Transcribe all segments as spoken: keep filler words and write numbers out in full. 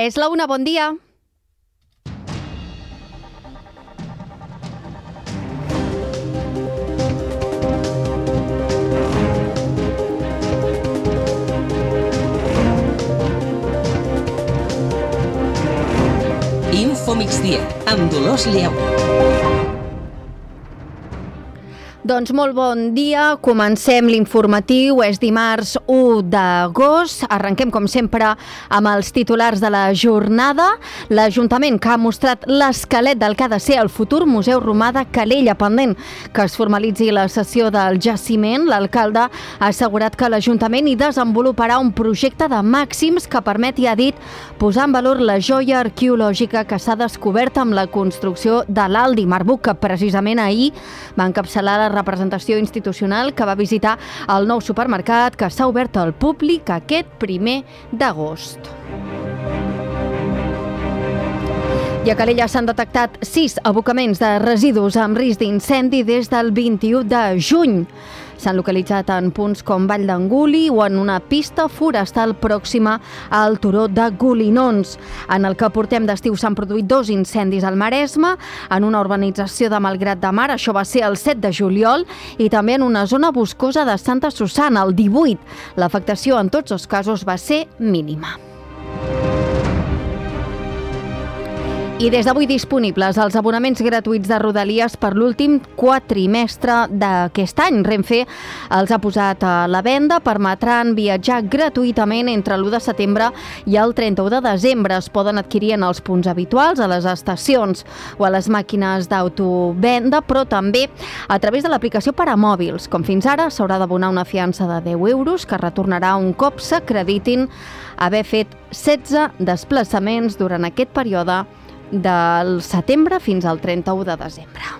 És la una, bon dia. Info migdia, amb Dolors Lleu. Doncs molt bon dia, comencem l'informatiu, és dimarts u d'agost, arrenquem com sempre amb els titulars de la jornada. L'Ajuntament que ha mostrat l'esquelet del que ha de ser el futur Museu Romà de Calella, pendent que es formalitzi la cessió del jaciment. L'alcalde ha assegurat que l'Ajuntament hi desenvoluparà un projecte de màxims que permeti, ha dit, posar en valor la joia arqueològica que s'ha descobert amb la construcció de l'Aldi Marbuc, que precisament ahir va encapçalar la representació institucional que va visitar el nou supermercat que s'ha obert al públic aquest primer d'agost. I a Calella s'han detectat sis abocaments de residus amb risc d'incendi des del vint-i-u de juny. S'han localitzat en punts com Vall d'Anguli o en una pista forestal pròxima al turó de Golinons. En el que portem d'estiu s'han produït dos incendis al Maresme, en una urbanització de Malgrat de Mar, això va ser el set de juliol, i també en una zona boscosa de Santa Susanna, el divuit. L'afectació en tots els casos va ser mínima. I des d'avui disponibles els abonaments gratuïts de Rodalies per l'últim quatrimestre d'aquest any. Renfe els ha posat a la venda, permetran viatjar gratuïtament entre l'u de setembre i el trenta-u de desembre. Es poden adquirir en els punts habituals, a les estacions o a les màquines d'autovenda, però també a través de l'aplicació per a mòbils. Com fins ara, s'haurà d'abonar una fiança de deu euros que retornarà un cop s'acreditin haver fet setze desplaçaments durant aquest període del setembre fins al trenta-u de desembre.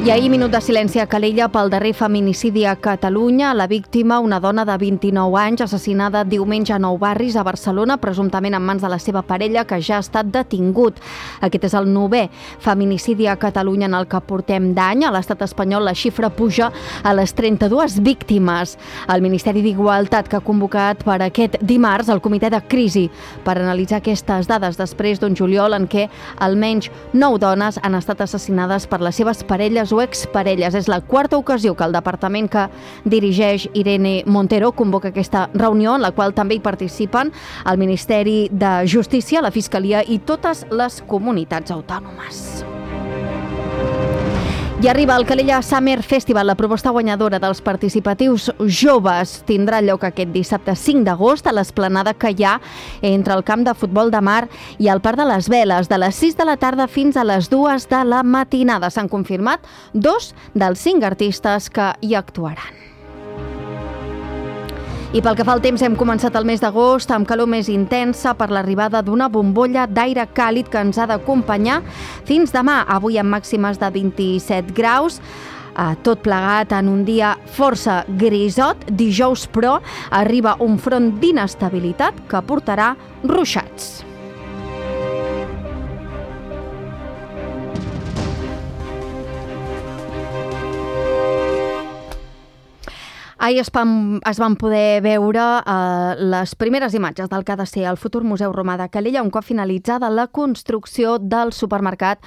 I ahir, minut de silenci a Calella pel darrer feminicidi a Catalunya. La víctima, una dona de vint-i-nou anys, assassinada diumenge a Nou Barris, a Barcelona, presumptament en mans de la seva parella, que ja ha estat detingut. Aquest és el novè feminicidi a Catalunya en el que portem d'any. A l'estat espanyol la xifra puja a les trenta-dues víctimes. El Ministeri d'Igualtat, que ha convocat per aquest dimarts el comitè de crisi per analitzar aquestes dades després d'un juliol en què almenys nou dones han estat assassinades per les seves parelles o exparelles. És la quarta ocasió que el departament que dirigeix Irene Montero convoca aquesta reunió, en la qual també hi participen el Ministeri de Justícia, la Fiscalia i totes les comunitats autònomes. I arriba el Calella Summer Festival. La proposta guanyadora dels participatius joves tindrà lloc aquest dissabte cinc d'agost a l'esplanada que hi ha entre el camp de futbol de Mar i el Parc de les Veles, de les sis de la tarda fins a les dues de la matinada. S'han confirmat dos dels cinc artistes que hi actuaran. I pel que fa al temps, hem començat el mes d'agost amb calor més intensa per l'arribada d'una bombolla d'aire càlid que ens ha d'acompanyar fins demà. Avui amb màximes de vint-i-set graus, tot plegat en un dia força grisot. Dijous, però, arriba un front d'inestabilitat que portarà ruixats. Ahir es van, es van poder veure eh, les primeres imatges del que ha de ser el futur Museu Romà de Calella, un cop finalitzada la construcció del supermercat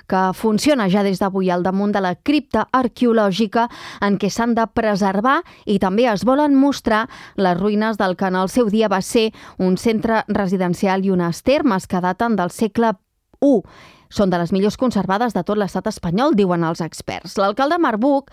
que funciona ja des d'avui al damunt de la cripta arqueològica en què s'han de preservar i també es volen mostrar les ruïnes del que en el seu dia va ser un centre residencial i unes termes que daten del segle u. Són de les millors conservades de tot l'estat espanyol, diuen els experts. L'alcalde Marbuc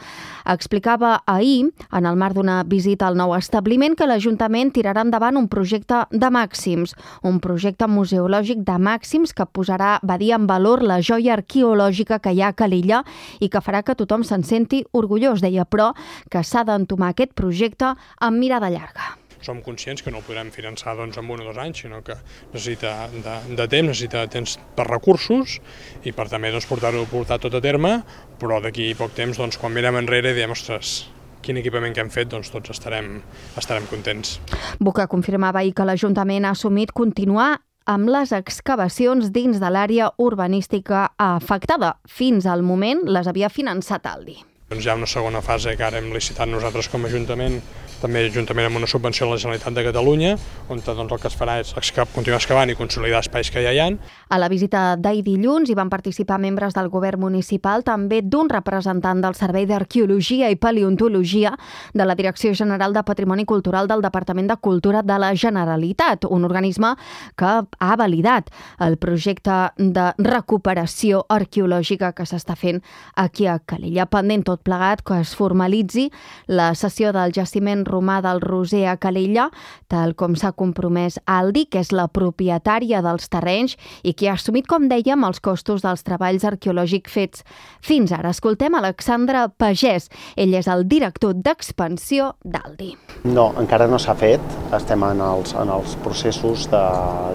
explicava ahir, en el marc d'una visita al nou establiment, que l'Ajuntament tirarà endavant un projecte de màxims, un projecte museològic de màxims que posarà, va dir, en valor la joia arqueològica que hi ha a Calella i que farà que tothom se'n senti orgullós. Deia, però, que s'ha d'entomar aquest projecte amb mirada llarga. Som conscients que no el podrem finançar doncs, en un o dos anys, sinó que necessita de, de temps, necessita temps per recursos i per també doncs, portar-ho portar tot a terme, però d'aquí poc temps, doncs, quan mirem enrere, diem, ostres, quin equipament que hem fet, doncs tots estarem, estarem contents. Buca confirmava ahir que l'Ajuntament ha assumit continuar amb les excavacions dins de l'àrea urbanística afectada. Fins al moment les havia finançat Aldi. Doncs hi ha una segona fase que ara hem licitat nosaltres com a Ajuntament també juntament amb una subvenció de la Generalitat de Catalunya, on doncs, el que es farà és continuar excavant i consolidar espais que ja hi ha. A la visita d'ahir dilluns hi van participar membres del govern municipal, també d'un representant del Servei d'Arqueologia i Paleontologia de la Direcció General de Patrimoni Cultural del Departament de Cultura de la Generalitat, un organisme que ha validat el projecte de recuperació arqueològica que s'està fent aquí a Calella. Pendent tot plegat que es formalitzi la cessió del jaciment romà del Roser a Calella, tal com s'ha compromès Aldi, que és la propietària dels terrenys i que ha assumit, com dèiem, els costos dels treballs arqueològics fets fins ara. Escoltem Alexandre Pagès. Ell és el director d'expansió d'Aldi. No, encara no s'ha fet. Estem en els, en els processos de,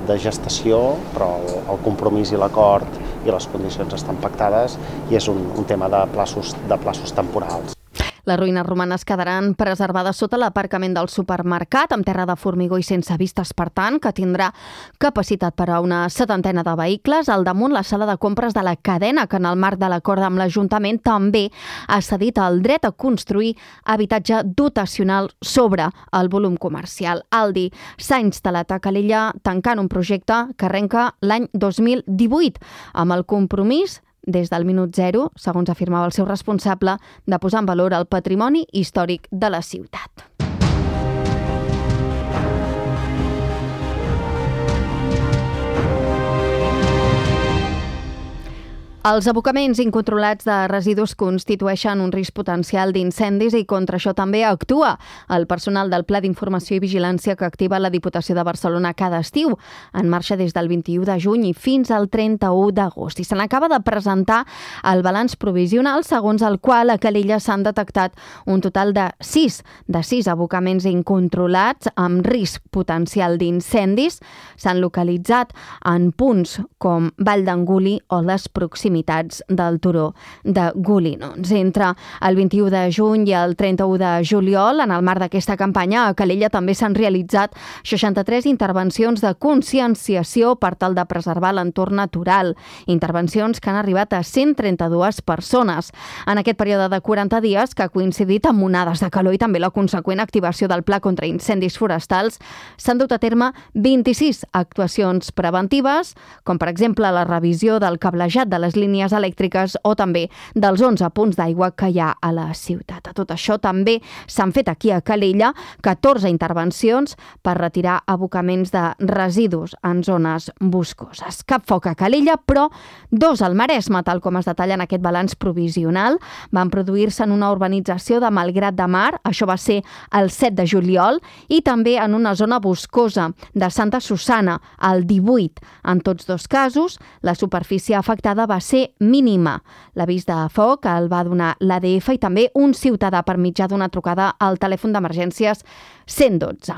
de gestació, però el, el compromís i l'acord i les condicions estan pactades i és un, un tema de plaços, de plaços temporals. Les ruïnes romanes quedaran preservades sota l'aparcament del supermercat, amb terra de formigó i sense vistes, per tant, que tindrà capacitat per a una setantena de vehicles. Al damunt, la sala de compres de la cadena, que en el marc de l'acord amb l'Ajuntament també ha cedit el dret a construir habitatge dotacional sobre el volum comercial. Aldi s'ha instal·lat a Calella tancant un projecte que arrenca l'any dos mil divuit, amb el compromís des del minut zero, segons afirmava el seu responsable, de posar en valor el patrimoni històric de la ciutat. Els abocaments incontrolats de residus constitueixen un risc potencial d'incendis i contra això també actua el personal del Pla d'Informació i Vigilància que activa la Diputació de Barcelona cada estiu, en marxa des del vint-i-u de juny i fins al trenta-u d'agost. I se n'acaba de presentar el balanç provisional, segons el qual a Calella s'han detectat un total de sis, de sis abocaments incontrolats amb risc potencial d'incendis. S'han localitzat en punts com Vall d'Anguli o les proximitats del turó de Golinons. Entre el vint-i-u de juny i el trenta-u de juliol, en el marc d'aquesta campanya, a Calella també s'han realitzat seixanta-tres intervencions de conscienciació per tal de preservar l'entorn natural. Intervencions que han arribat a cent trenta-dues persones. En aquest període de quaranta dies, que ha coincidit amb onades de calor i també la conseqüent activació del Pla contra incendis forestals, s'han dut a terme vint-i-sis actuacions preventives, com per exemple la revisió del cablejat de les línies elèctriques o també dels onze punts d'aigua que hi ha a la ciutat. A tot això també s'han fet aquí a Calella catorze intervencions per retirar abocaments de residus en zones boscoses. Cap foc a Calella, però dos al Maresme, tal com es detalla en aquest balanç provisional. Van produir-se en una urbanització de Malgrat de Mar, això va ser el set de juliol, i també en una zona boscosa de Santa Susana, el divuit. En tots dos casos, la superfície afectada va ser mínima. L'avís de foc el va donar l'A D F i també un ciutadà per mitjà d'una trucada al telèfon d'emergències cent dotze.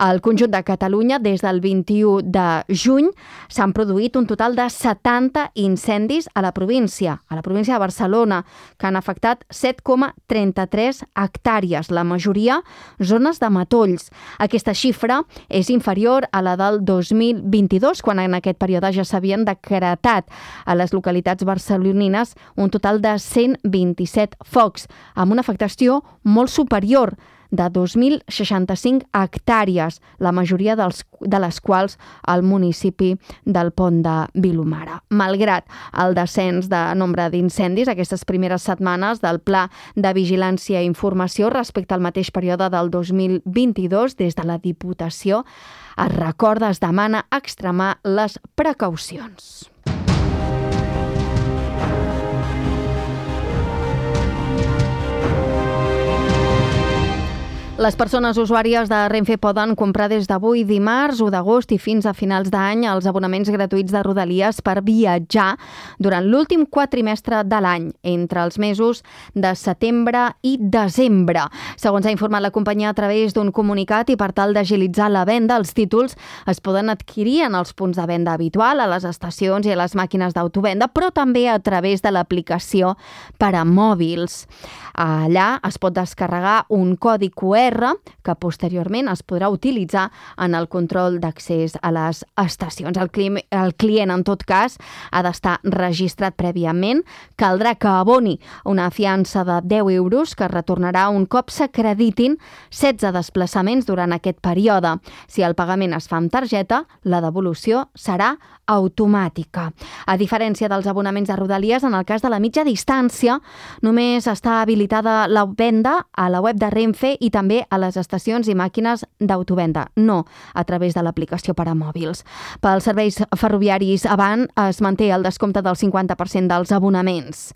Al conjunt de Catalunya, des del vint-i-u de juny, s'han produït un total de setanta incendis a la província, a la província de Barcelona, que han afectat set coma trenta-tres hectàrees, la majoria zones de matolls. Aquesta xifra és inferior a la del dos mil vint-i-dos, quan en aquest període ja s'havien decretat a les localitats barcelonines un total de cent vint-i-set focs, amb una afectació molt superior de dos mil seixanta-cinc hectàrees, la majoria dels, de les quals al municipi del Pont de Vilomara. Malgrat el descens de nombre d'incendis aquestes primeres setmanes del Pla de Vigilància i Informació respecte al mateix període del dos mil vint-i-dos, des de la Diputació es recorda, es demana extremar les precaucions. Les persones usuàries de Renfe poden comprar des d'avui, dimarts, u d'agost i fins a finals d'any els abonaments gratuïts de Rodalies per viatjar durant l'últim quatrimestre de l'any, entre els mesos de setembre i desembre. Segons ha informat la companyia a través d'un comunicat i per tal d'agilitzar la venda, els títols es poden adquirir en els punts de venda habitual, a les estacions i a les màquines d'autovenda, però també a través de l'aplicació per a mòbils. Allà es pot descarregar un codi Q R, que posteriorment es podrà utilitzar en el control d'accés a les estacions. El client, el client, en tot cas, ha d'estar registrat prèviament. Caldrà que aboni una fiança de deu euros que retornarà un cop s'acreditin setze desplaçaments durant aquest període. Si el pagament es fa amb targeta, la devolució serà automàtica. A diferència dels abonaments de Rodalies, en el cas de la mitja distància, només està habilitada la venda a la web de Renfe i també a les estacions i màquines d'autovenda, no a través de l'aplicació per a mòbils. Pels serveis ferroviaris Avant es manté el descompte del cinquanta per cent dels abonaments.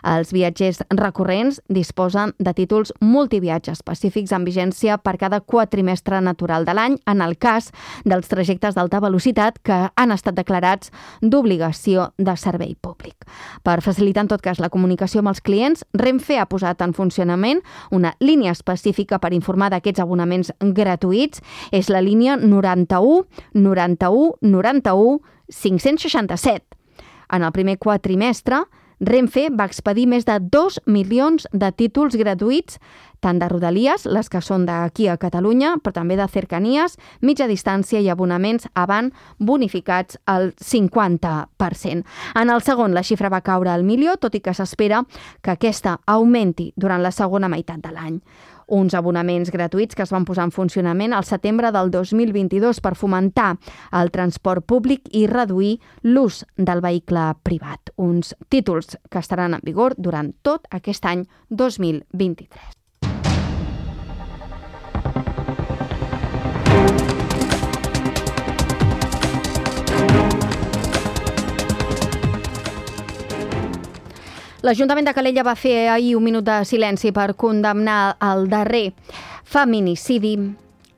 Els viatgers recurrents disposen de títols multiviatge específics amb vigència per cada quatrimestre natural de l'any en el cas dels trajectes d'alta velocitat que han estat declarats d'obligació de servei públic. Per facilitar en tot cas la comunicació amb els clients, Renfe ha posat en funcionament una línia específica per informar d'aquests abonaments gratuïts. És la línia noranta-u noranta-u noranta-u cinc-cents seixanta-set. En el primer quatrimestre, Renfe va expedir més de dos milions de títols gratuïts, tant de Rodalies, les que són d'aquí a Catalunya, però també de cercanies, mitja distància i abonaments Avant bonificats al cinquanta per cent. En el segon, la xifra va caure al milió, tot i que s'espera que aquesta augmenti durant la segona meitat de l'any. Uns abonaments gratuïts que es van posar en funcionament al setembre del dos mil vint-i-dos per fomentar el transport públic i reduir l'ús del vehicle privat. Uns títols que estaran en vigor durant tot aquest any dos mil vint-i-tres. L'Ajuntament de Calella va fer ahir un minut de silenci per condemnar el darrer feminicidi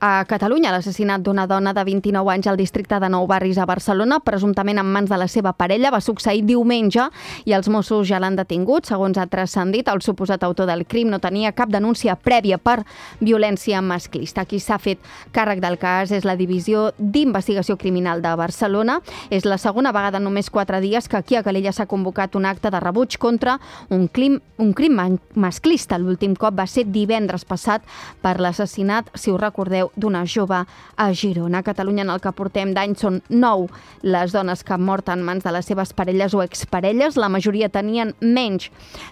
a Catalunya, l'assassinat d'una dona de vint-i-nou anys al districte de Nou Barris a Barcelona, presumptament en mans de la seva parella. Va succeir diumenge i els Mossos ja l'han detingut. Segons ha transcendit, el suposat autor del crim no tenia cap denúncia prèvia per violència masclista. Qui s'ha fet càrrec del cas és la Divisió d'Investigació Criminal de Barcelona. És la segona vegada en només quatre dies que aquí a Calella s'ha convocat un acte de rebuig contra un crim, un crim masclista. L'últim cop va ser divendres passat per l'assassinat, si us recordeu, d'una jove a Girona. A Catalunya, en el que portem d'any, són nou les dones que han mort en mans de les seves parelles o exparelles. La majoria tenien menys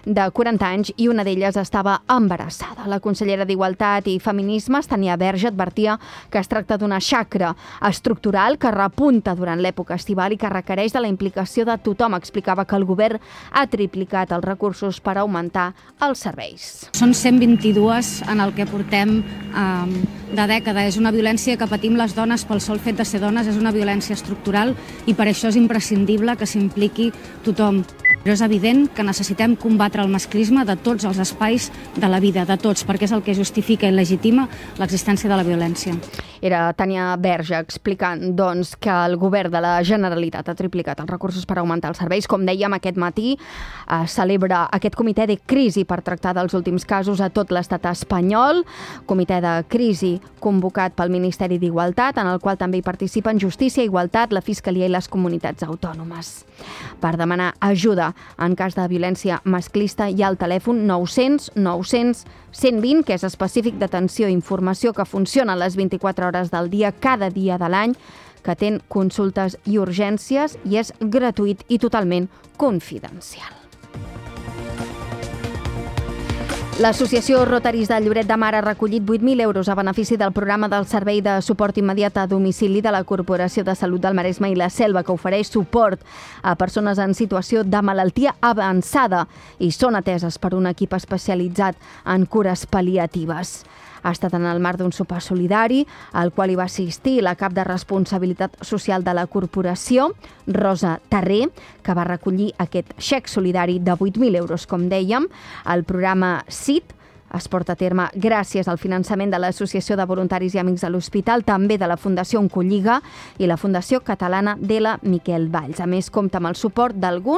de quaranta anys i una d'elles estava embarassada. La consellera d'Igualtat i Feminismes, Tania Verge, advertia que es tracta d'una xacra estructural que repunta durant l'època estival i que requereix de la implicació de tothom. Explicava que el govern ha triplicat els recursos per augmentar els serveis. Són cent vint-i-dues en el que portem eh, de dècada. És una violència que patim les dones pel sol fet de ser dones, és una violència estructural i per això és imprescindible que s'impliqui tothom. Però és evident que necessitem combatre el masclisme de tots els espais de la vida, de tots, perquè és el que justifica i legitima l'existència de la violència. Era Tania Verge explicant doncs, que el govern de la Generalitat ha triplicat els recursos per augmentar els serveis. Com dèiem, aquest matí eh, celebra aquest comitè de crisi per tractar dels últims casos a tot l'estat espanyol. Comitè de crisi convocat pel Ministeri d'Igualtat, en el qual també hi participen Justícia, Igualtat, la Fiscalia i les comunitats autònomes. Per demanar ajuda en cas de violència masclista hi ha el telèfon nou-cents nou-cents cent vint, que és específic d'atenció i informació, que funciona a les vint-i-quatre hores del dia, cada dia de l'any, que atén consultes i urgències i és gratuït i totalment confidencial. L'Associació Rotaris de Lloret de Mar ha recollit vuit mil euros a benefici del programa del Servei de Suport Immediat a Domicili de la Corporació de Salut del Maresme i la Selva, que ofereix suport a persones en situació de malaltia avançada i són ateses per un equip especialitzat en cures pal·liatives. Ha estat en el marc d'un sopar solidari, al qual hi va assistir la cap de responsabilitat social de la corporació, Rosa Terré, que va recollir aquest xec solidari de vuit mil euros, com dèiem. El programa S I T es porta a terme gràcies al finançament de l'Associació de Voluntaris i Amics de l'Hospital, també de la Fundació Oncolliga i la Fundació Catalana de la Miquel Valls. A més, compta amb el suport d'alguns